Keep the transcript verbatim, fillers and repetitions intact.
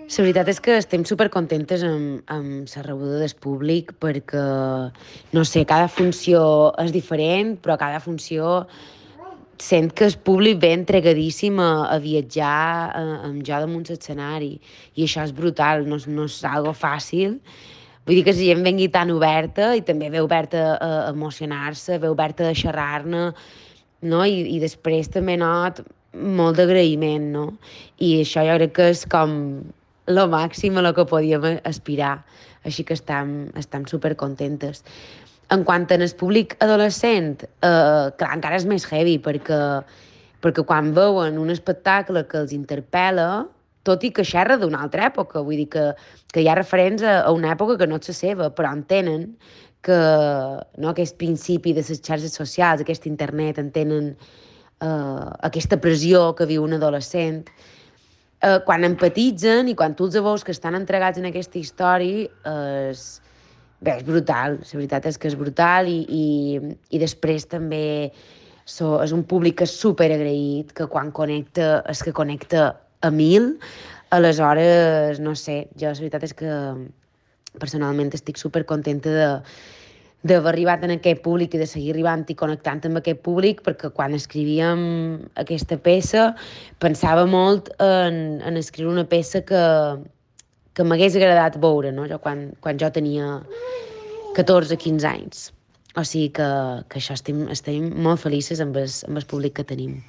La veritat és que estem supercontentes amb, amb la rebuda del públic perquè, no sé, cada funció és diferent, però cada funció sent que el públic ve entregadíssim a, a viatjar a, amb jo damunt l'escenari i això és brutal, no, és- no és algo fàcil. Vull dir que la gent vengui tan oberta i també ve oberta a, a emocionar-se, ve oberta a xerrar-ne, no? I, i després també not molt d'agraïment, no? I això jo crec que és com lo màxim a lo que podíem aspirar. Així que estem, estem supercontentes. En quant al públic adolescent, eh, clar, encara és més heavy, perquè, perquè quan veuen un espectacle que els interpel·la, tot i que xerra d'una altra època, vull dir que, que hi ha referents a, a una època que no és la seva, però entenen que no, aquest principi de les xarxes socials, aquest internet, entenen eh, aquesta pressió que viu un adolescent, eh, quan empatitzen i quan tu els veus que estan entregats en aquesta història, eh, és, bé, és brutal, la veritat és que és brutal i, i, i després també so, és un públic que és super agraït, que quan connecta és que connecta a mil, aleshores, no sé, jo la veritat és que personalment estic super contenta de, d'haver arribat en aquest públic i de seguir arribant i connectant amb aquest públic, perquè quan escrivíem aquesta peça pensava molt en, en escriure una peça que, que m'hagués agradat veure, no? Jo quan, quan jo tenia catorze quinze anys. O sigui que, que això estem, estem molt felices amb el, amb el públic que tenim.